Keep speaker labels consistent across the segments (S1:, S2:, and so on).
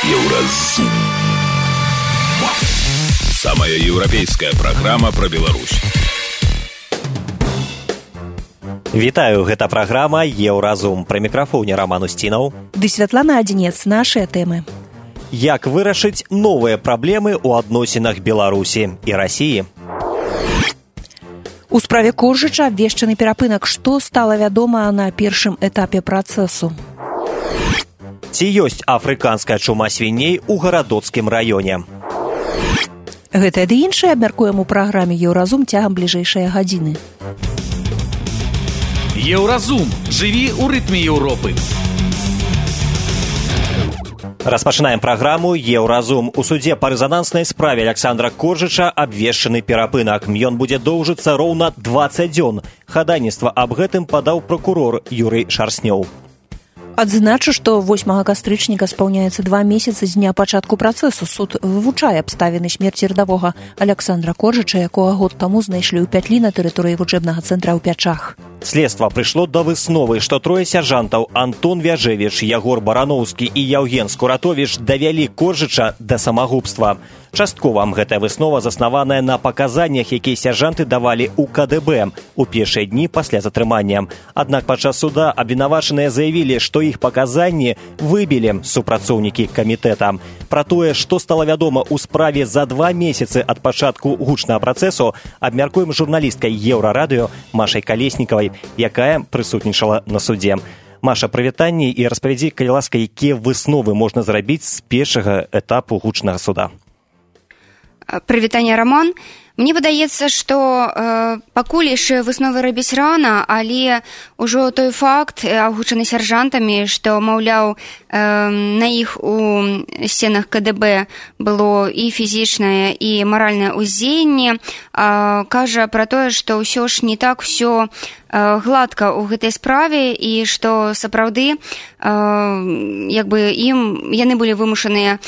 S1: Еўразум. Самая еўрапейская праграма пра Беларусь.
S2: Вітаю, гэта праграма «Еўразум». Пры мікрафоне Роман Устінаў.
S3: Ды Святлана Адзінец, нашыя тэмы.
S2: Як вырашыць новыя праблемы ў адносінах Беларусі і Расіі?
S3: У справе Коржыча абвешчаны перапынак. Што стала вядома на першым этапе працэсу?
S2: Ці ёсць афрыканская чума свіней у гарадоцкім раёне?
S3: Гэтае ды іншае абмяркуем у праграме «Еўразум» цягам бліжэйшай гадзіны.
S4: Еўразум. Жыві ў рытме Еўропы.
S2: Распачынаем праграму «Еўразум». У судзе па рэзананснай справе Аляксандра Коржыча абвешчаны перапынак. Ён будзе доўжыцца роўна 20 дзён. Хадайніцтва аб гэтым падаў пракурор Юрый Шарснёў.
S3: Адзначу, што 8 кастрычніка спаўняецца 2 месяцы з дня пачатку працэсу. Суд вывучае абставіны смерці радавога Аляксандра Коржыча, якога год таму знайшлі ў пятлі на тэрыторыі вучэбнага цэнтра ў Пячах.
S2: Следства прыйшло да высновы, што трое сяржантаў Антон Вяжевіч, Ягор Барановскі і Яўген Скуратовіч давялі Коржыча да самагубства. Часткова гэтая выснова заснаваная на паказаннях, якія сяржанты давалі ў КДБ у першыя дні пасля затрымання. Аднак падчас суда абвінавачаныя заявілі, што іх паказанні выбілі супрацоўнікі камітэта. Пра тое, што стала вядома ў справе за 2 месяцы ад пачатку гучнага працэсу, абмяркуем з журналісткай Еўрарадыё Машай Калеснікавай, якая прысутнічала на судзе. Маша, прывітанне і распавядзі, калі ласка, якія высновы можна зрабіць з першага этапу гучнага суда.
S5: Прывітанне, Роман. Мне выдаецца, што пакуль яшчэ высновы рабіць рана, але ўжо той факт, агучаны сяржантамі, што, маўляў, на іх у сценах КДБ было і фізічнае, і маральнае ўздзеянне, кажа пра тое, што ўсё ж не так усё гладка ў гэтай справе і што сапраўды яны былі вымушаныя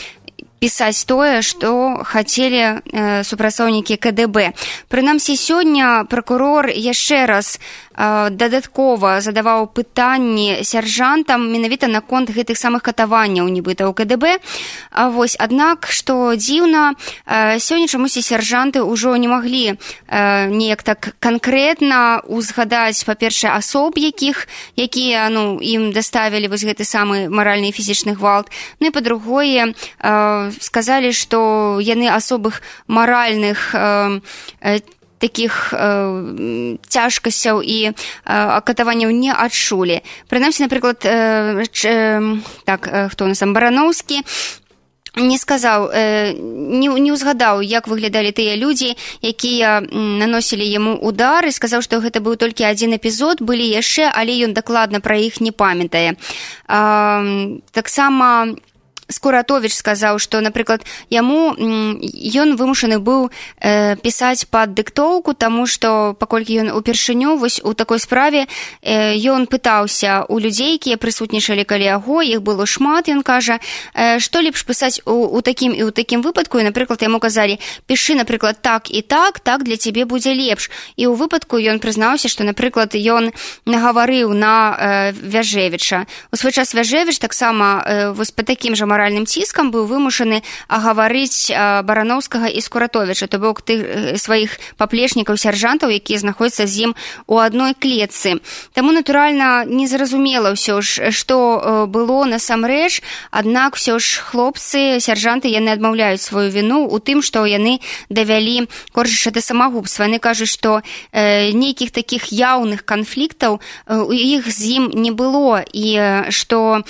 S5: пісаць тое, што хацелі супрацоўнікі КДБ. Прынамсі, сёння пракурор яшчэ раз дадаткова задаваў пытанні сяржантам менавіта наконт гэтых самых катаванняў нібыта ў КДБ. Аднак, што дзіўна, сёння чамусьці сяржанты ўжо не маглі неяк так канкрэтна узгадаць, па-першае, асоб, якія ім даставілі гэты самы маральны і фізічны гвалт. Ну і па-другое, сказалі, што яны асобых маральных такіх цяжкасцяў і катаванняў не адчулі. Прынамсі, напрыклад, хто у нас там, Барановскі, не сказаў, не ўзгадаў, як выглядалі тыя людзі, якія наносілі яму удар, і сказаў, што гэта быў толькі адзін эпізод, былі яшчэ, але ён дакладна пра іх не памятае. Таксама Скуратовіч сказаў, што, напрыклад, ён вымушаны быў пісаць пад дыктоўку, таму што, паколькі ён упершыню у такой справе, ён пытаўся ў людзей, якія прысутнічалі каля яго, іх было шмат, ён кажа, што лепш пісаць у такім і ў такім выпадку, і, напрыклад, яму казалі, пішы, напрыклад, так і так для цябе будзе лепш. І ў выпадку ён прызнаўся, што, напрыклад, ён нагаварыў на Вяжевіча. У свой час Вяжевіч таксама па такім жа маральным ціскам быў вымушаны агаварыць Барановскага і Скуратовіча, то бок тых сваіх паплечнікаў, сяржантаў, якія знаходзяцца з ім у адной клетцы. Таму, натуральна, незразумела ўсё ж, што было насамрэч, аднак ўсё ж хлопцы, сяржанты, яны адмаўляюць сваю віну ў тым, што яны давялі Коржыча да самагубства. Яны кажуць, што нейкіх такіх яўных канфліктаў у іх з ім не было, і што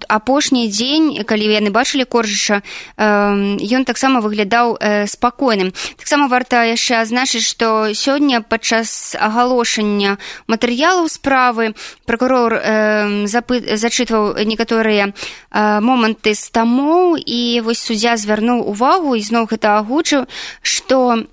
S5: апошні дзень, калі яны бачылі Коржыча, ён таксама выглядаў спакойным. Таксама варта яшчэ адзначыць, што сёння падчас агалошання матэрыялаў справы пракурор зачытваў некаторыя моманты з тамоў, і вось суддзя звярнуў увагу і зноў гэта агучыў, што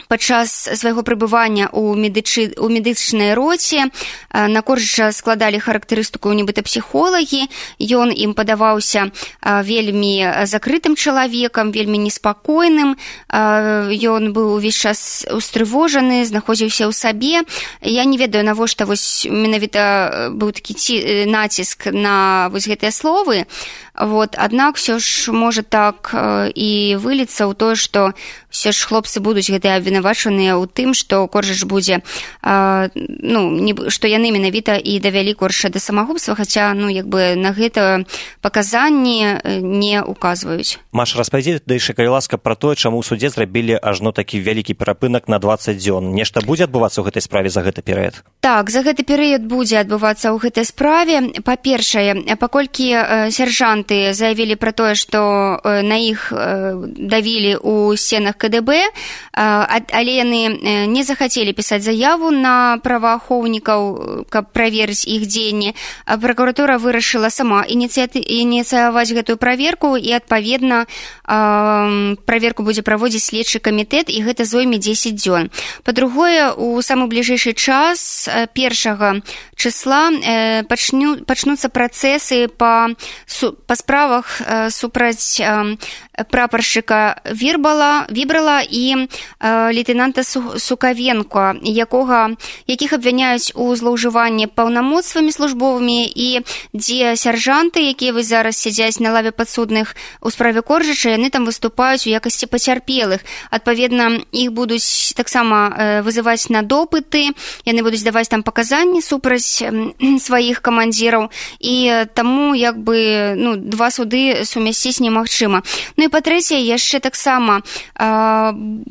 S5: падчас свайго пребывання ў медычнай роце на Коржыча складалі характарыстыку нібыта псіхолагі, ён ім падаваўся вельмі закрытым чалавекам, вельмі неспакойным, ён быў увесь час устрывожаны, знаходзіўся ў сабе. Я не ведаю, навошта вось менавіта быў такі націск на вось гэтыя словы. Аднак все ж можа так і выліцца ў тое, што все ж хлопцы будуць гэтыя абвінавачаныя ў тым, што Коржыч будзе, што яны менавіта і давялі Коржыча да самагубства, хаця на гэта паказанні не указваюць.
S2: Маша, распавядзі яшчэ, калі ласка, пра тое, чаму ў судзе зрабілі ажно такі вялікі перапынак на 20 дзён. Нешта будзе адбывацца ў гэтай справе за гэты перыяд?
S5: Так, за гэты перыяд будзе адбывацца ў гэтай справе. Па-першае, паколькі сяржанты заявілі пра тое, што на іх давілі ў сценах КДБ, але яны не захацелі пісаць заяву на праваахоўнікаў, каб праверыць іх дзеянні, пракуратура вырашыла сама ініцыяваць гэтую праверку, і адпаведна праверку будзе праводзіць следчы камітэт, і гэта зойме 10 дзён. Па-другое, у самы бліжэйшы час 1 числа пачнуцца працэсы па справах супраць прапаршчыка Вібрала і лейтенанта Сукавенко, якіх абвяняюць у злоўжыванні паўнамоцтвамі службовымі, і дзе сяржанты, якія зараз сядзяць на лаве падсудных у справе Коржыча, яны там выступаюць у якасці пацярпелых. Адпаведна, іх будуць таксама вызываць на допыты, яны будуць даваць там паказанні супраць сваіх камандзіраў, і таму два суды сумясціць немагчыма. І па-трэцяе, яшчэ таксама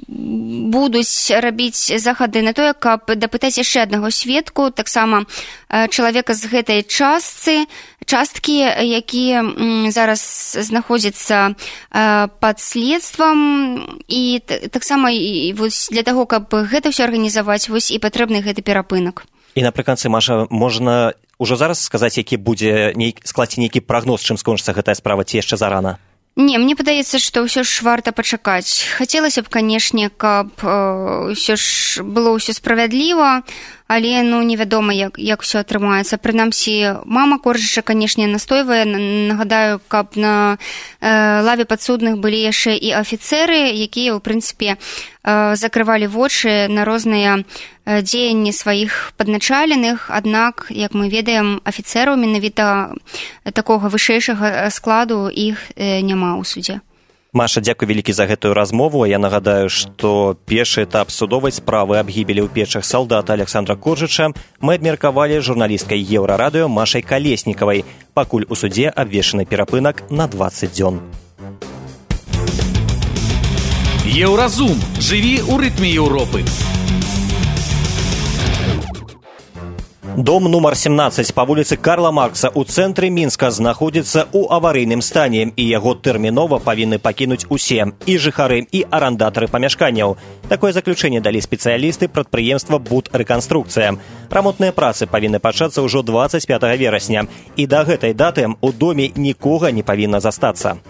S5: будуць рабіць захады на тое, каб дапытаць яшчэ аднаго сведку, таксама чалавека з гэтай часткі, які зараз знаходзіцца пад следствам, і таксама для таго, каб гэта ўсё арганізаваць, і патрэбны гэты перапынак.
S2: І напрыканцы, Маша, можна ўжо зараз сказаць, які будзе скласці нейкі прагноз, чым скончыцца гэтая справа, ці яшчэ зарана?
S5: Не, мне падаецца, што ўсё ж варта пачакаць. Хацелася б, канешне, каб ўсё ж было ўсё справядліва, але невядома, як ўсё атрымаецца. Прынамсі, мама Коржыча, канешне, настойвае. Нагадаю, каб на лаве падсудных былі яшчэ і афіцэры, якія, у прынцыпе, закрывалі вочы на розныя дзеянні сваіх падначаленых, аднак, як мы ведаем, афіцэраў менавіта такога вышэйшага складу іх няма ў судзе.
S2: Маша, дзякуй вялікі за гэтую размову. Я нагадаю, што першы этап судовай справы аб гібелі ў печах салдата Александра Коржыча мы абмеркавалі журналісткай Еўрарадыё Машай Калеснікавай. Пакуль у судзе абвешчаны перапынак на 20 дзён.
S4: Еўразум. Жыві ў рытме Еўропы.
S2: Дом нумар 17 па вуліцы Карла Маркса ў цэнтры Мінска знаходзіцца ў аварыйным стане, і яго тэрмінова павінны пакінуць усе, і жыхары, і арандатары памяшканняў. Такое заключэнне далі спецыялісты прадпрыемства «Будрэканструкцыя». Рамонтныя працы павінны пачацца ўжо 25 верасня, і да гэтай даты у доме нікога не павінна застацца.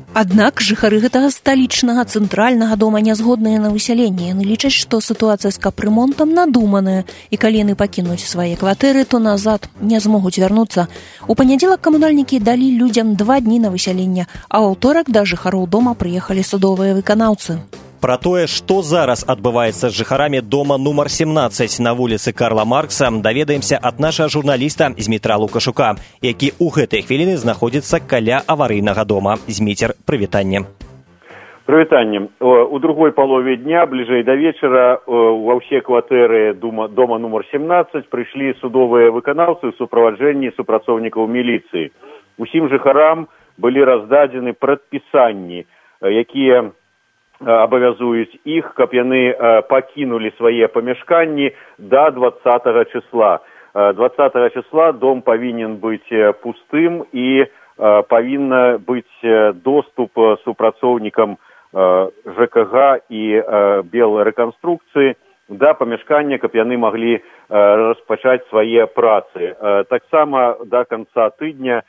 S3: Аднак жыхары гэтага сталічнага цэнтральнага дома не згодныя на высяленне. Яны лічаць, што сітуацыя з капрэмонтам надуманая, і калі яны пакінуць свае кватэры, то назад не змогуць вярнуцца. У панядзелак камунальнікі далі людзям 2 дні на высяленне, а ў аўторак да жыхароў дома прыехалі судовыя выканаўцы.
S2: Пра тое, што зараз адбываецца з жыхарамі дома нумар 17 на вуліцы Карла Маркса, даведаемся ад нашага журналіста Змітра Лукашука, які ў гэтай хвіліны знаходзіцца каля аварыйнага дома. Зміцер, прывітанне.
S6: Прывітанне. У другой палове дня, бліжэй да вечара, ва ўсе кватэры дома нумар 17 прыйшлі судовыя выканаўцы ў суправаджэнні супрацоўнікаў міліцыі. Усім жыхарам былі раздадзены прадпісанні, якія абавязуюць іх, каб яны пакінулі свае памяшканні да 20 числа. 20 числа дом павінен быць пустым, і павінна быць доступ супрацоўнікам ЖКГ і Белрэканструкцыі да памяшкання, каб яны маглі распачаць свае працы. Таксама да канца тыдня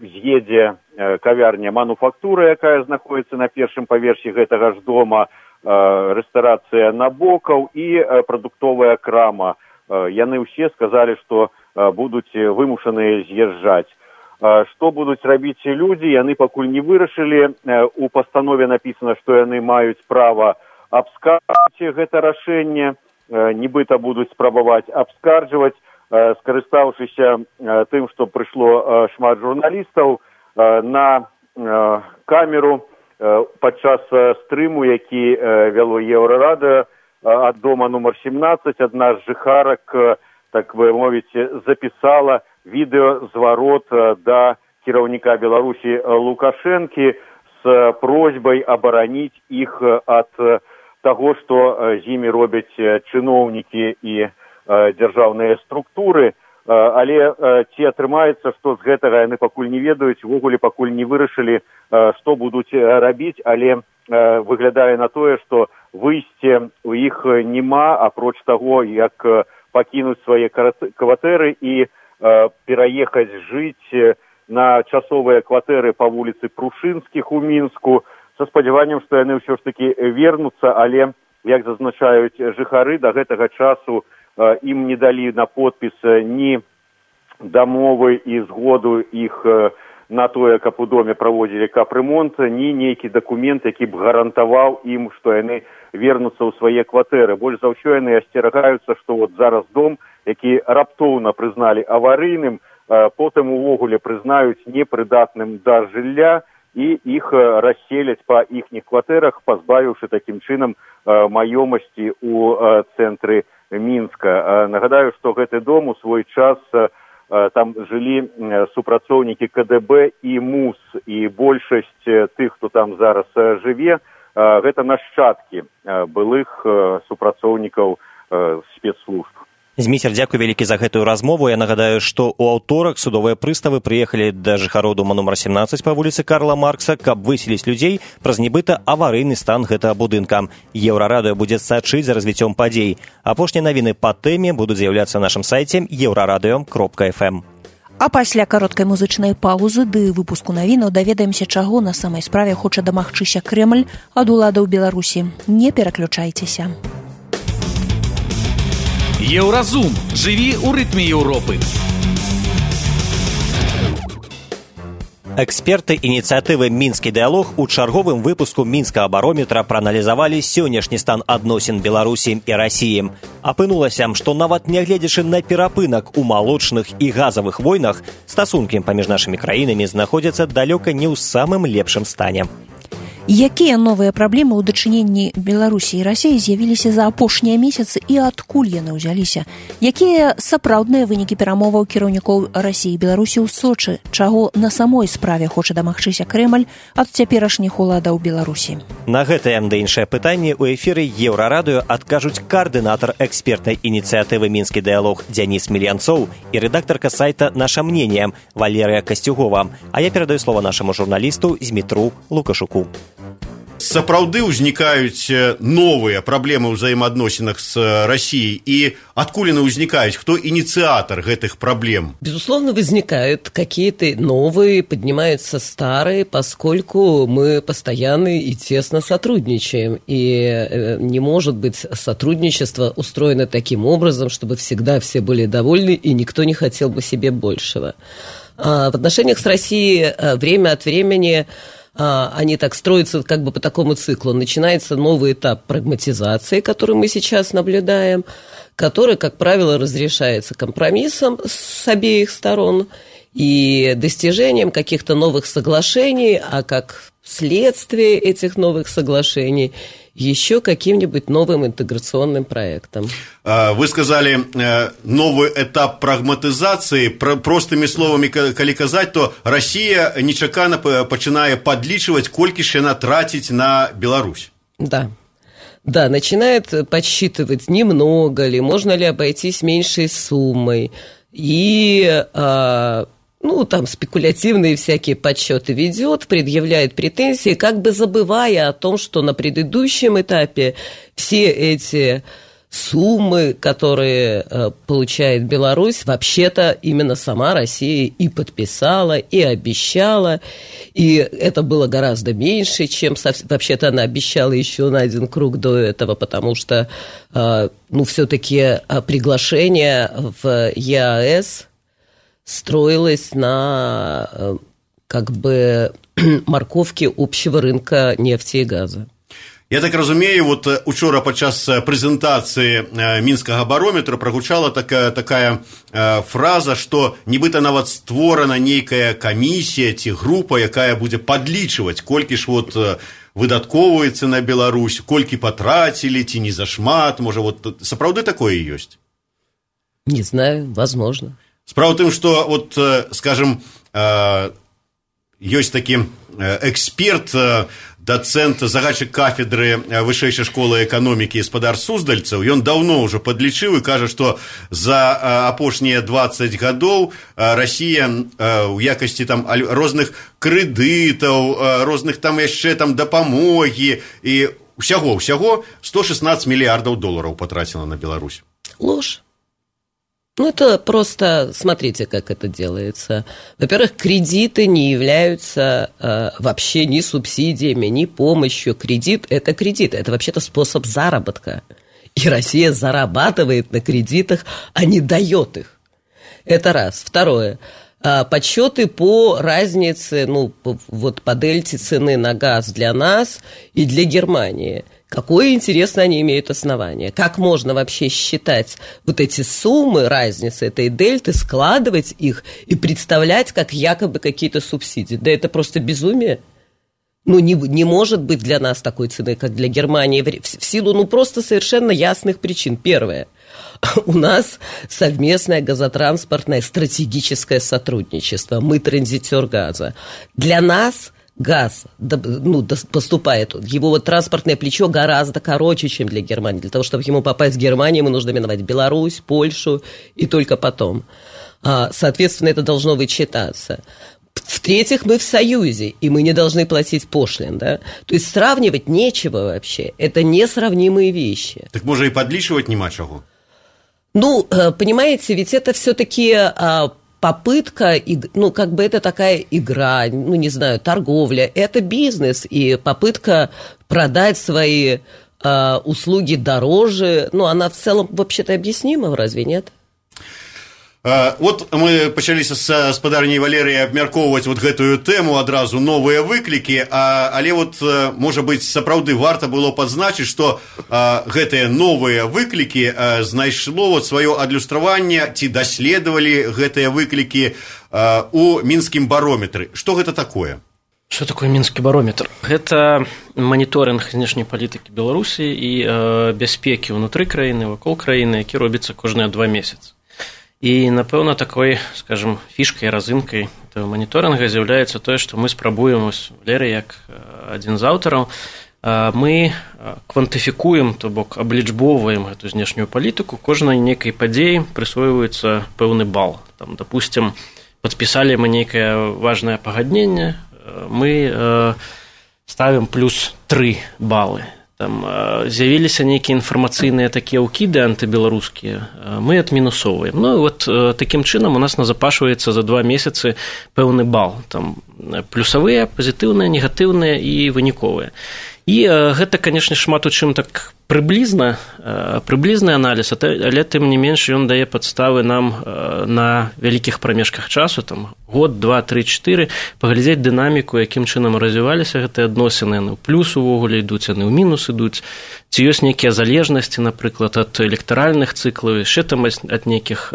S6: з'едзе кавярня «Мануфактура», якая знаходіцца на першым паверсе гэтага ж дома, рэстарацыя набокаў і прадуктовая крама. Яны ўсе сказалі, што будуць вымушаныя з'язджаць. Што будуць рабіць людзі, яны пакуль не вырашылі. У пастанове напісана, што яны маюць права абскарджваць гэта рашэнне, нібыта будуць спрабаваць абскарджваць. Скарыстаўшыся тым, што прыйшло шмат журналістаў, на камеру падчас стрыму, які вяло Еўрарадыё ад дома нумар 17, адна з жыхарак, так бы мовіць, запісала відэазварот да кіраўніка Беларусі Лукашэнкі з просьбай абараніць іх ад таго, што з імі робяць чыноўнікі і дзяржаўныя структуры. Але ці атрымаецца, што з гэтага яны пакуль не ведаюць, увогуле пакуль не вырашылі, што будуць рабіць, але выглядае на тое, што выйсце у іх няма, апроч таго, як пакінуць свае кватэры і пераехаць жыць на часовыя кватэры па вуліцы Прушынскіх у Мінску, са спадзяваннем, што яны ўсё ж такі вернуцца, але, як зазначаюць жыхары, да гэтага часу ім не далі на подпіс ні дамовы і згоду іх на тое, каб у доме праводзілі капрэмонт, ні нейкі дакумент, які б гарантаваў ім, што яны вернуцца ў свае кватэры. Больш за ўсё яны асцерагаюцца, што вот зараз дом, які раптоўна прызналі аварыйным, потым увогуле прызнаюць непрыдатным да жылля і іх расселяць па іхніх кватэрах, пазбавіўшы такім чынам маёмасці ў цэнтры Мінска. Нагадаю, што гэты дом у свой час там жылі супрацоўнікі КДБ і МУС, і большасць тых, хто там зараз жыве, гэта нашчадкі былых супрацоўнікаў спецслужб.
S2: Зміцер, дзякуй вялікі за гэтую размову. Я нагадаю, што ў аўторак судовыя прыставы прыехалі да жыхароў дома нумар 17 па вуліцы Карла Маркса, каб выселіць людзей праз нібыта аварыйны стан гэтага будынка. Еўрарадыё будзе сачыць за развіццём падзей. Апошнія навіны па тэме будуць з'яўляцца на нашым сайце euraradio.fm.
S3: А пасля кароткай музычнай паўзы ды выпуску навінаў даведаемся, чаго на самай справе хоча дамагчыся Крэмль ад уладаў Беларусі. Не пераключайцеся.
S4: Еўразум. Жыві ў рытме Еўропы.
S2: Эксперты ініцыятывы «Мінскі дыялог» у чарговым выпуску мінскага барометра прааналізавалі сённяшні стан адносін Беларусі і Расіі. Апынулася, што нават нягледзячы на перапынак у малочных і газавых войнах, стасункі паміж нашымі краінамі знаходзяцца далёка не ў самым лепшым стане.
S3: Якія новыя праблемы ў дачыненні Беларусі і Расіі з'явіліся за апошнія месяцы і адкуль яны ўзяліся? Якія сапраўдныя вынікі перамоваў кіраўнікоў Расіі і Беларусі ў Сочы? Чаго на самой справе хоча дамагчыся Крэмль ад цяперашніх уладаў Беларусі?
S2: На гэтае ды іншае пытанне ў эфіры Еўрарадыё адкажуць каардынатар экспертнай ініцыятывы «Мінскі дыялог» Дзяніс Мільянцоў і рэдактарка сайта «Наша мнение» Валерыя Касцюгова. А я перадаю слова нашаму журналісту Змітру Лукашуку.
S7: Сапраўды ўзнікаюць новыя праблемы ў взаимоотносинах с Россией, и откуда они возникают? Кто инициатор этих проблем?
S8: Безусловно, возникают какие-то новые, поднимаются старые, поскольку мы постоянно и тесно сотрудничаем. И не может быть сотрудничество устроено таким образом, чтобы всегда все были довольны и никто не хотел бы себе большего. В отношениях с Россией время от времени они так строятся как бы по такому циклу. Начинается новый этап прагматизации, который мы сейчас наблюдаем, который, как правило, разрешается компромиссом с обеих сторон и достижением каких-то новых соглашений, а как следствие этих новых соглашений еще каким-нибудь новым интеграционным проектом.
S7: Вы сказали новый этап прагматизации. Простыми словами, калі казаць, то Россия нечакана пачынае подлічивать, колькі ж яна тратить на Беларусь.
S8: Да, начинает подсчитывать, немного ли, можно ли обойтись меньшей суммой. И там спекулятивные всякие подсчеты ведет, предъявляет претензии, как бы забывая о том, что на предыдущем этапе все эти суммы, которые получает Беларусь, вообще-то именно сама Россия и подписала, и обещала, и это было гораздо меньше, чем вообще-то она обещала еще на один круг до этого, потому что, все-таки приглашение в ЕАЭС строилась на морковке общего рынка нефти и газа.
S7: Я так разумею, вот учора падчас прэзентацыі мінскага барометра прагучала такая фраза, што нібыта нават створана нейкая камісія ці група, якая будзе падлічваць, колькі ж вот выдаткоўваецца на Беларусь, колькі патрацілі, ці не зашмат, можа, вот сапраўды такое ёсць?
S8: Не знаю, возможно.
S7: Справа ў тым, што, вот, скажем, ёсць такі эксперт, дацэнт, загадчык кафедры вышэйшай школы эканомікі і гаспадар суздальцаў, ён даўно ўжо падлічыў і кажа, што за апошнія 20 гадоў Расія ў якасці там розных крэдытаў, розных там яшчэ там дапамогі і ўсяго 116 мільярдаў долараў патраціла на Беларусь.
S8: Ложь. Ну, это просто, смотрите, как это делается. Во-первых, кредиты не являются вообще ни субсидиями, ни помощью. Кредит – это вообще-то способ заработка. И Россия зарабатывает на кредитах, а не дает их. Это раз. Второе. Подсчеты по разнице, ну, вот по дельте цены на газ для нас и для Германии – какое, интересно, они имеют основание? Как можно вообще считать вот эти суммы, разницы этой дельты, складывать их и представлять как якобы какие-то субсидии? Да это просто безумие. Ну, не может быть для нас такой цены, как для Германии, в силу, ну, просто совершенно ясных причин. Первое. У нас совместное газотранспортное стратегическое сотрудничество. Мы транзитер газа. Для нас газ поступает, его вот транспортное плечо гораздо короче, чем для Германии. Для того, чтобы ему попасть в Германию, ему нужно миновать Беларусь, Польшу и только потом. Соответственно, это должно вычитаться. В-третьих, мы в Союзе, и мы не должны платить пошлин, да? То есть сравнивать нечего вообще. Это несравнимые вещи.
S7: Так можно и подличивать нема чего.
S8: Ну, понимаете, ведь это все-таки попытка, ну, как бы это такая игра, ну, не знаю, торговля, это бизнес, и попытка продать свои услуги дороже, ну, она в целом вообще-то объяснима, разве нет?
S7: Вот мы пачалі з гаспадарняй Валерыяй абмяркоўваць вот гэтую тэму адразу новыя выклікі, але вот, можа быць, сапраўды варта было падзначыць, што гэтыя новыя выклікі знайшло вот сваё адлюстраванне, ці даследавалі гэтыя выклікі у мінскім барометры. Што гэта такое?
S9: Что такое мінскі барометр? Гэта маніторынг знешняй палітыкі Беларусі і бяспекі ўнутры краіны, вакол краіны, які робіцца кожныя 2 месяцы. І, напэўна, такой, скажем, фішкай, разынкай этого маніторинга з'яўляецца тое, што мы спрабуем, Валерый, як адзін з аўтараў, мы квантыфікуем, то бок аблічбоўваем гэту знешнюю палітыку, кожнай нейкай падзеі прысвойваецца пэўны бал. Там, допустим, падпісалі мы нейкае важнае пагадненне, мы ставім плюс 3 балы. Там з'явіліся нейкія інфармацыйныя такія ўкіды антыбеларускія, мы адмінусоўваем. Ну, вот такім чынам у нас назапашваецца за 2 месяцы пэўны бал. Там плюсавыя, пазітыўныя, негатыўныя і выніковыя. І гэта, канешне, шмат у чым так прыблізны аналіз, але тым не менш ён дае падставы нам на вялікіх прамежках часу, там год, 2, 3, 4, паглядзець дынаміку, якім чынам развіваліся гэтыя адносіны, яны ў плюс увогуле ідуць, яны ў мінус ідуць, ці ёсць нейкія залежнасці, напрыклад, ад электаральных цыклаў, яшчэ там ад нейкіх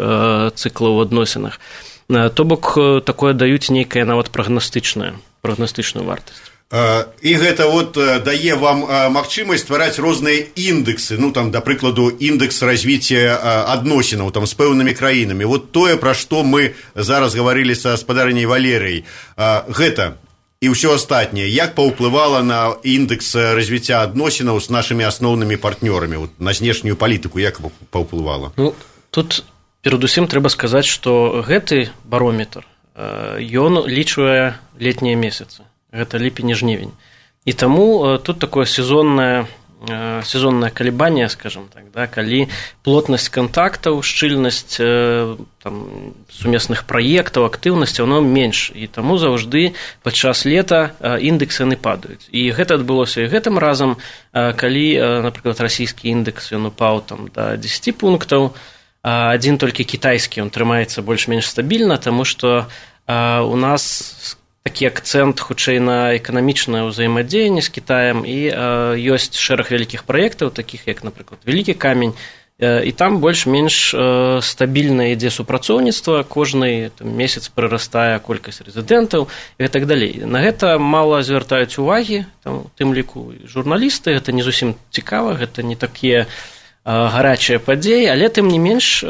S9: цыклаў у адносінах. То бок такое даюць нейкая нават прагнастычную вартасць.
S7: І гэта вот дае вам магчымасць ствараць розныя індэксы, ну там, да прыкладу, індекс развіцця адносінаў там з пэўнымі краінамі. Вот тое, пра што мы зараз гаварылі са гаспадарняй Валерыяй, гэта і ўсё астатняе, як паўплывала на індекс развіцця адносінаў з нашымі асноўнымі партнёрамі, вот, на знешнюю палітыку, як паўплывала?
S9: Ну, тут перадусім трэба сказаць, што гэты барометр, ён лічвае летнія месяцы. Гэта ліпень і жнівень. І таму тут такое сезоннае калебанне, скажем так, да, калі плотнасць кантактаў, шчыльнасць там, сумесных праектаў, актыўнасць, оно менш. І таму заўжды падчас лета індексы яны падаюць. І гэта адбылося і гэтым разам, калі, напрыклад, расійскі індекс ён упаў там, да 10 пунктаў, адзін толькі кітайскі, ён трымаецца больш-менш стабільна, таму што у нас такі акцэнт хутчэй на эканамічнае ўзаемадзеянне з Кітаем, і ёсць шэраг вялікіх праектаў, такіх як, напрыклад, Вялікі камень, і там больш-менш стабільна ідзе супрацоўніцтва, кожны месяц прырастае колькасць рэзідэнтаў і так далей. На гэта мала звяртаюць увагі, у тым ліку журналісты, гэта не зусім цікава, гэта не такія гарачыя падзеі, але тым не менш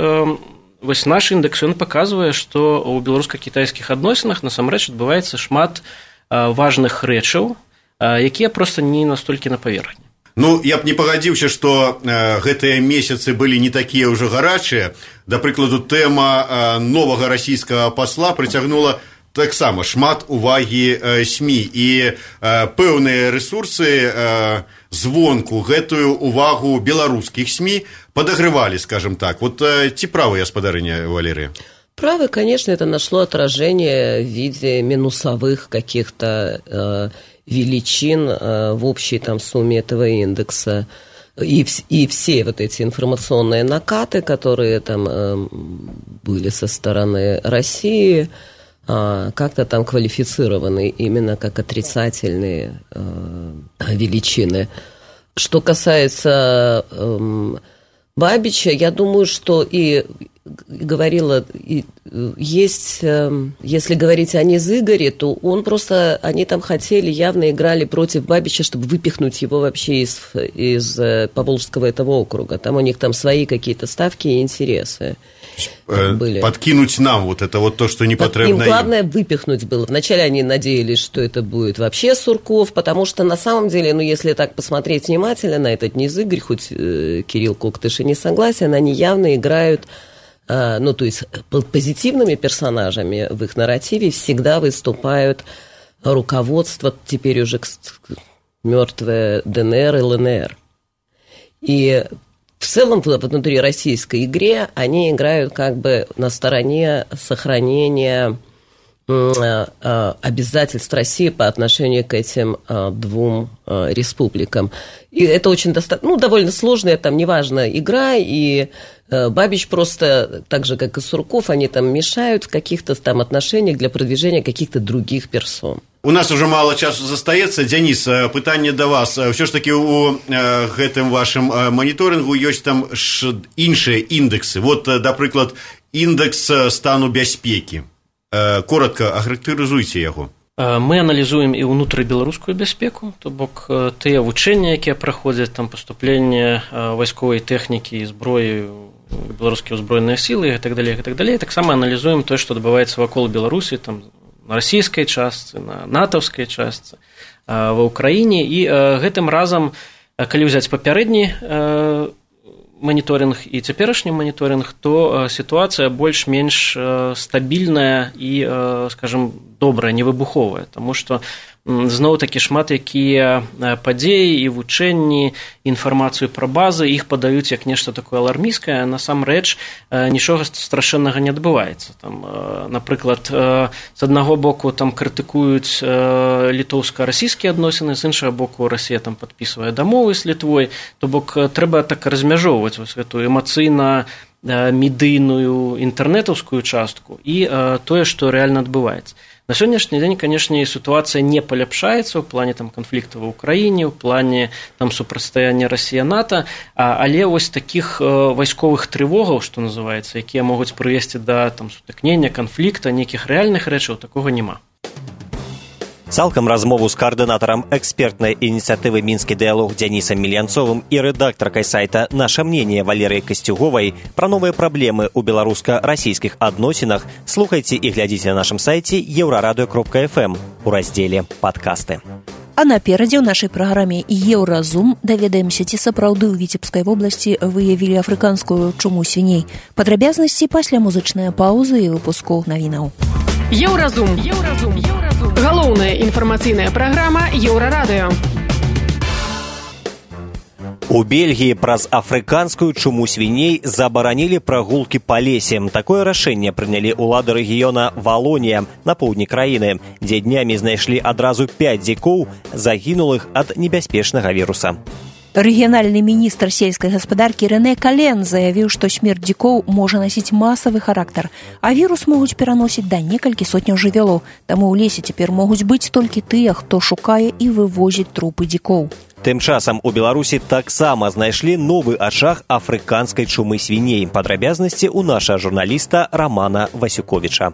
S9: вось наш індэкс, ён паказвае, што ў беларуска-кітайскіх адносінах насамрэч адбываецца шмат важных рэчаў, якія проста не настолькі на паверхні.
S7: Ну, я б не пагадзіўся, што гэтыя месяцы былі не такія ўжо гарачыя. Да прыкладу, тэма новага расійскага пасла прыцягнула таксама шмат увагі СМІ, і пэўныя рэсурсы звонку гэтую увагу беларускіх СМІ подогревали, скажем так. Вот ці правы, гаспадарыня Валерия?
S8: Правы, конечно, это нашло отражение в виде минусовых каких-то величин в общей там сумме этого индекса. И все вот эти информационные накаты, которые там были со стороны России, как-то там квалифицированы именно как отрицательные величины. Что касается Бабича, я думаю, что и говорила, есть, если говорить о Низыгоре, то он просто, они там хотели, явно играли против Бабича, чтобы выпихнуть его вообще из Поволжского этого округа. Там у них там свои какие-то ставки и интересы были.
S7: Подкинуть нам вот это вот то, что не потребно им.
S8: Главное выпихнуть было. Вначале они надеялись, что это будет вообще Сурков, потому что на самом деле, ну если так посмотреть внимательно на этот Низыгорь, хоть Кирилл Коктыш и не согласен, они явно играют, ну то есть позитивными персонажами в их нарративе всегда выступают руководство, теперь уже мертвое ДНР и ЛНР. И в целом внутри российской игре они играют как бы на стороне сохранения обязательств России по отношению к этим двум республикам. И это очень довольно сложная, там, неважно, игра, и Бабич просто, так же, как и Сурков, они там мешают в каких-то там отношениях для продвижения каких-то других персон.
S7: У нас уже мало часу застаецца. Дзяніс, пытанне да вас. Ўсё ж таки у гэтым вашым маніторынгу ёсць там іншыя індэксы. Вот, напрыклад, індэкс стану бяспекі. Коротко ахарактарызуйце яго.
S9: Мы аналізуем і ўнутрыбеларускую бяспеку, то бок тыя вучэнні, якія праходзяць, там паступленне вайсковай тэхнікі і зброі ў беларускія ўзброеныя сілы і так далей, і так далей. Таксама аналізуем тое, што адбываецца вакол Беларусі, там на расійскай частцы, на натаўскай частцы ва ўкраіне, і гэтым разам, калі ўзяць папярэдні моніторинг і цяперашні моніторинг, то сітуацыя больш-менш стабільная і, скажем, добрая, невыбуховая, таму што зноў-такі шмат якія падзеі і вучэнні, інфармацыю пра базы, іх падаюць як нешта такое алармійскае, насамрэч нічога страшэннага не адбываецца. Там, напрыклад, з аднаго боку там крытыкуюць літоўска-расійскія адносіны, з іншага боку Расія там падпісвае дамовы з Літвой, то бок трэба так размяжоўваць вось гэтую эмацыйна медыйную інтэрнетаўскую частку і тое, што рэальна адбываецца. На сённяшні дзень, канешне, сітуацыя не паляпшаецца ў плане там канфлікту ва ўкраіне, ў плане там супрацьстаяння Расія-НАТО, але вось такіх вайсковых трывогаў, што называецца, якія могуць прывесці да там сутыкнення, канфлікта, нейкіх рэальных рэчаў, такога няма.
S2: Цалкам размову з каардынатарам экспертнай ініцыятывы «Мінскі дыялог» Дзянісам Мільянцовым і рэдактаркай сайта «Наша мнение» Валерыяй Касцюговай пра новыя праблемы ў беларуска-расійскіх адносінах слухайце і глядзіце на нашым сайце еўрарадыё.фм у раздзеле «Падкасты».
S3: А наперадзе ў нашай праграме «Еўразум» даведаемся, ці сапраўды ў Віцебскай вобласці выявілі афрыканскую чуму свіней. Падрабязнасці пасля музычнай паўзы і выпуску навінаў.
S10: Еўразум. Галоўная інфармацыйная праграма Еўрарадыё.
S2: У Бельгіі праз афрыканскую чуму свіней забаранілі прагулкі па лесе. Такое рашэнне прынялі ўлады рэгіёна Валонія на поўдні краіны, дзе днямі знайшлі адразу 5 дзікоў, загінулых ад небяспечнага віруса.
S3: Рэгіянальны міністр сельскай гаспадаркі Рэнэ Кален заявіў, што смерць дзікоў можа насіць масавы характар, а вірус могуць пераносіць да некалькі сотняў жывёлаў. Таму ў лесе цяпер могуць быць толькі тыя, хто шукае і вывозіць трупы дзікоў.
S2: Тым часам у Беларусі таксама знайшлі новы ачаг афрыканскай чумы свіней. Падрабязнасці ў нашага журналіста Рамана Васюковіча.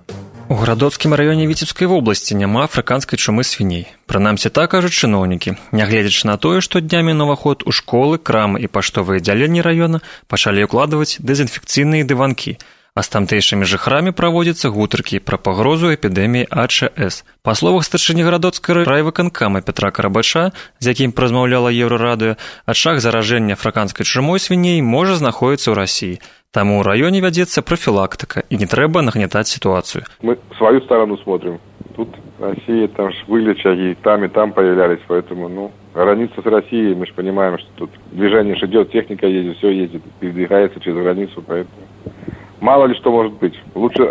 S11: У Градоцкім раёне Віцебскай вобласці няма афрыканскай чумы свіней. Прынамсі так кажуць чыноўнікі. Нягледзячы на тое, што днямі на ўваход у школы, крамы і паштовыя аддзяленні раёна пачалі ўкладваць дэзінфекцыйныя дыванкі, а з тамтэйшымі жыхарамі праводзяцца гутаркі пра пагрозу эпідэміі АЧС. Па словах старшыні Гарадоцкага райвыканкама Петра Карабача, з якім размаўляла Еўрарадыё, ачаг заражэння афрыканскай чумой свіней можа знаходзіцца ў Расіі. Таму ў раёне вядзецца профилактика, и не треба нагнетать ситуацию.
S12: Мы свою сторону смотрим. Тут Россия, там же вылеча, и там появлялись, поэтому, граница с Россией, мы же понимаем, что тут движение же идет, техника едет, все едет, передвигается через границу, поэтому мало ли что может быть. Лучше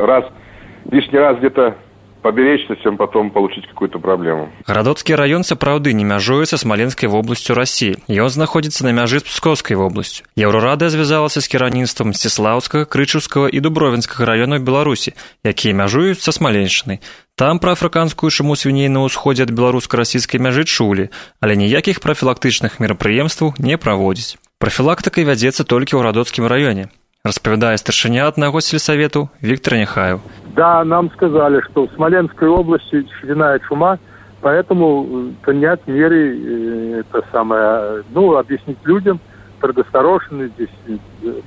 S12: лишний раз где-то поберечься, чем потом получить какую-то проблему.
S11: Гарадоцкі раён сапраўды не мяжуе са Смаленскай вобласцю Расіі. Ён знаходзіцца на мяжы з Пскоўскай вобласцю. Еўрарадыё звязалася з кіраўніцтвам Мсціслаўскага, Крычаўскага і Дубровінскага раёнаў Беларусі, якія мяжуюць са Смаленшчынай. Там пра афрыканскую чуму свіней на ўсходзе ад беларуска-расійскай мяжы чулі, але ніякіх прафілактычных мерапрыемстваў не праводзіць. Прафілактыка вядзецца толькі ў Гарадоцкім раёне, распавядае старшыня аднаго сельсавету Виктор Нехаев.
S13: Да, нам сказали, что в Смоленской области свиная чума, поэтому принять меры, объяснить людям, предосторожные, здесь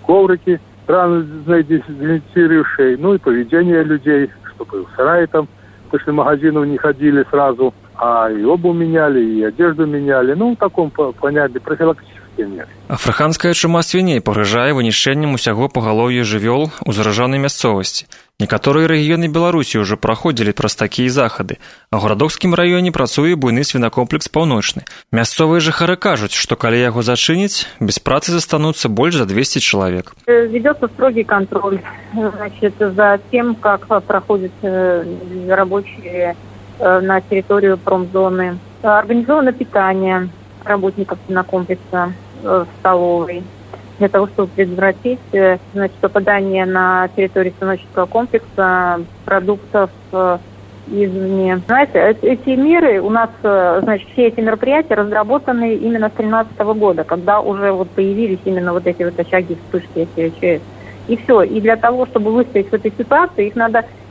S13: коврики, разные дезинфицирующие, и поведение людей, чтобы в сарае там после магазинов не ходили сразу, а и обувь меняли, и одежду меняли, в таком понятии профилактические меры.
S11: Афрыканская чума свіней пагражае вынішчэннем усяго пагалоўя жывёл у заражанай мясцовасці. Некаторыя рэгіёны Беларусі ўжо праходзілі праз такія захады, а ў Гарадоцкім раёне працуе буйны свінакомплекс «Паўночны». Мясцовыя жыхары кажуць, што калі яго зачыніць, без працы застануцца больш за 200 чалавек.
S14: Ведется строгий контроль, за тем, как проходят рабочие на территорию промзоны. Организовано питание работников свинокомплекса в столовой, для того, чтобы предотвратить попадание на территорию свиноческого комплекса продуктов извне. Знаете, эти меры у нас, все эти мероприятия разработаны именно с 2013 года, когда уже появились именно эти очаги вспышки АЧС. И все. И для того, чтобы выстоять в этой ситуации,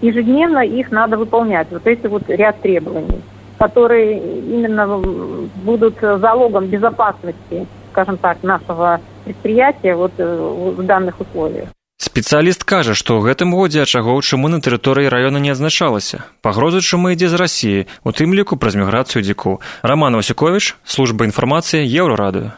S14: ежедневно их надо выполнять. Эти ряд требований, которые именно будут залогом безопасности, скажем так, нашего предприятия в данных условиях.
S11: Спецыяліст кажа, што ў гэтым годзе ачагоў чумы на тэрыторыі раёна не адзначалася. Пагроза чумы ідзе з Расіі, у тым ліку праз міграцыю дзікоў. Раман Васюковіч, служба інфармацыі, Еўрарадыё.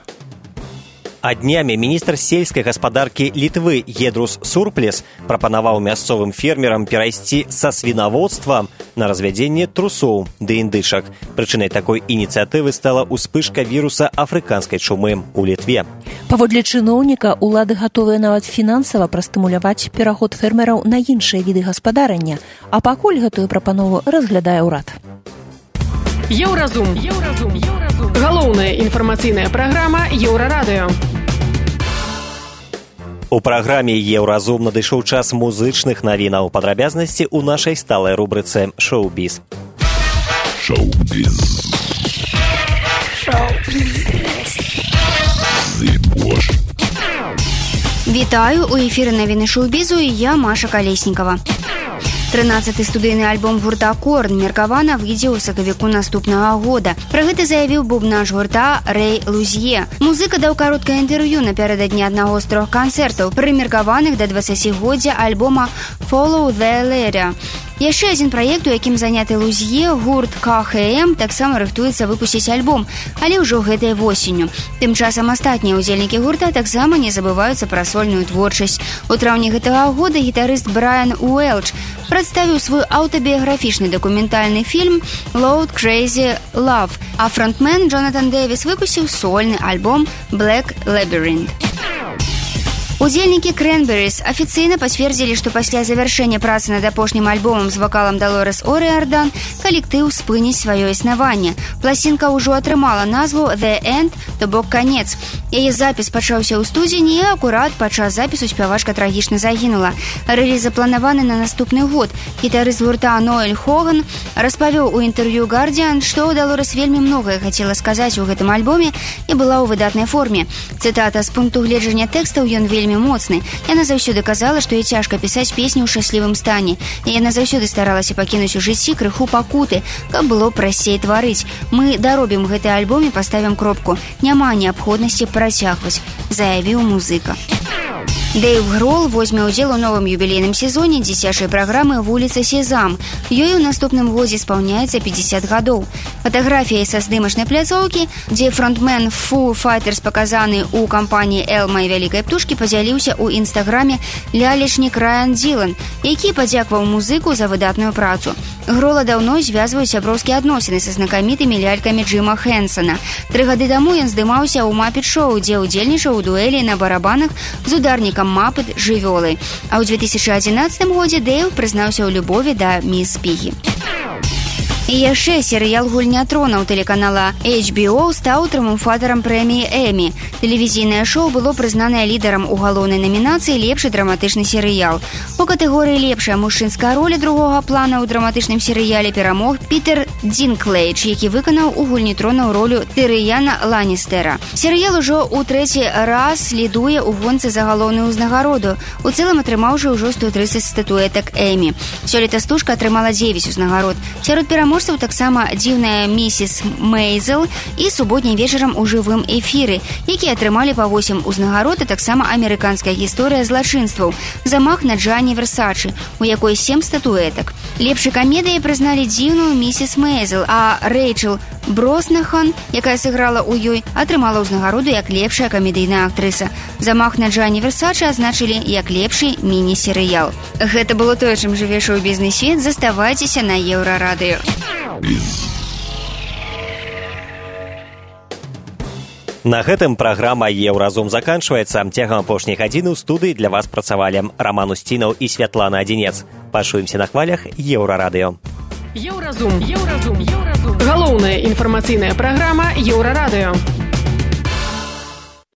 S2: А днямі міністр сельскай гаспадаркі Літвы Едрус Сурплес прапанаваў мясцовым фермерам перайсці са свінаводства на развядзенне трусоў ды індышак. Прычынай такой ініцыятывы стала ўспышка віруса афрыканскай чумы ў Літве.
S3: Паводле чыноўніка, улады гатовыя нават фінансава прастымуляваць пераход фермераў на іншыя віды гаспадарання, а пакуль гэтую прапанову разглядае ўрад.
S10: Еўразум. Галоўная інфармацыйная праграма Еўрарадыё.
S2: У праграме «Еўразум» надышоў час музычных навінаў. Падрабязнасці ў нашай сталай рубрыцы «Шоу-біз».
S5: Вітаю, у эфіры навіны шоу-бізу і я, Маша Калеснікава. 13-й студыйны альбом гурта «Корн» меркавана выйдзе ў сакавіку наступнага года. Пра гэта заявіў бубнаж гурта Рэй Лузье. Музыка даў кароткае інтэрв'ю напярэдадні аднаго з 3 канцэртаў, прымеркаваных да 20-годдзя альбома «Follow the Leader». Яшчэ адзін праект, у якім заняты Лузье, гурт КХМ, таксама рыхтуецца выпусціць альбом, але ўжо гэтай восенню. Тым часам астатнія ўдзельнікі гурта таксама не забываюцца пра сольную творчасць. У траўні гэтага года гітарыст Брайан Уэлч прадставіў свой аўтабіяграфічны дакументальны фільм «Loud Crazy Love», а фронтмен Джонатан Дэвіс выпусціў сольны альбом «Black Labyrinth». Удзельнікі Крэнберис афіцыйна пацвердзілі, што пасля завяршэння працы над апошнім альбомам з вакалам Далорес О'Риардан калектыў спыніць сваё існаванне. Пласцінка ўжо атрымала назву «The End», то бок «Канец». Яе запіс пачаўся ў студзені, і акурат падчас запісу спявачка трагічна загінула. Рэліз запланаваны на наступны год. Гітарыст гурта Ноэль Хоган распавёў у інтэрв'ю «Гардзіан», што Далорес вельмі многае хацела сказаць у гэтым альбоме і была ў выдатнай форме. Цытата: «З пункту гледжання тэкстаў ён вельмі моцны. Яна заўсёды казала, што ёй цяжка пісаць песні ў шчаслівым стане. І яна заўсёды старалася пакінуць у жыцці крыху пакуты, каб было прасцей тварыць. Мы даробім гэты альбом і паставім кропку. Няма неабходнасці працягваць», заявіў музыка. Дэйв Грол возьме ўдзел у новым юбілейным сезоне дзіцячай праграмы «Вуліца Сезам». Ёй у наступным годзе спаўняецца 50 гадоў. Фатаграфіяй са здымачнай пляцоўкі, дзе фронтмен Foo Fighters паказаны ў кампаніі «Элмай вялікай птушкі», падзяліўся ў інстаграме лялечнік Райан Дзілан, які падзякваў музыку за выдатную працу. Грола даўно звязваюць сяброўскія адносіны са знакамітымі лялькамі Джима Хэнсона. 3 гады таму ён здымаўся ў «Мапет-шоу», дзе ўдзельнічаў у дуэлі на барабанах з ударнікам Мапет жывёлы. А ў 2011 годзе Дэйв прызнаўся ў любові да міс Пігі. І яшчэ серыял «Гульня тронаў» тэлеканала HBO стаў трыумфатарам прэміі Эмі. Тэлевізійнае шоу было прызнанае лідарам у галоўнай намінацыі «Лепшы драматычны серыял». У катэгорыі «Лепшая мужчынская роля другога плана» ў драматычным серыяле перамог Пітер Дінклэйдж, які выканаў у «Гульні тронаў» ролю Тырыяна Ланністэра. Серыял ужо ў 3-й раз лідуе ў гонцы за галоўную ўзнагароду, у цэлым атрымаўшы ўжо 130 статуэтак Эмі. Сёлета стужка атрымала 9 узнагарод. Сярод пераможцаў таксама «Дзіўная місіс Мейзел» і «Суботнім вечарам у жывым эфіры», якія атрымалі па 8 узнагарод, а таксама «Амерыканская гісторыя злачынстваў», «Замах на Джанні Версачы», у якой 7 статуэтак. Лепшай камедыяй прызналі «Дзіўную місіс Мейзел», а Рэйчел Броснахан, якая сыграла ў ёй, атрымала ўзнагароду як лепшая камедыйная актрыса. «Замах на Джанні Версачы» азначылі як лепшы міні-серыял. Гэта было тое, чым жыве шоу-бізнес-свет. Заставайцеся на Еўрарадыё.
S2: На гэтым праграма «Еўразум» заканчваецца. Цягам апошняй гадзіны ў студыі для вас працавалі Раман Усцінаў і Святлана Адзінец. Пачуемся на хвалях Еўрарадыё.
S10: Еўразум. Галоўная інфармацыйная праграма Еўрарадыё.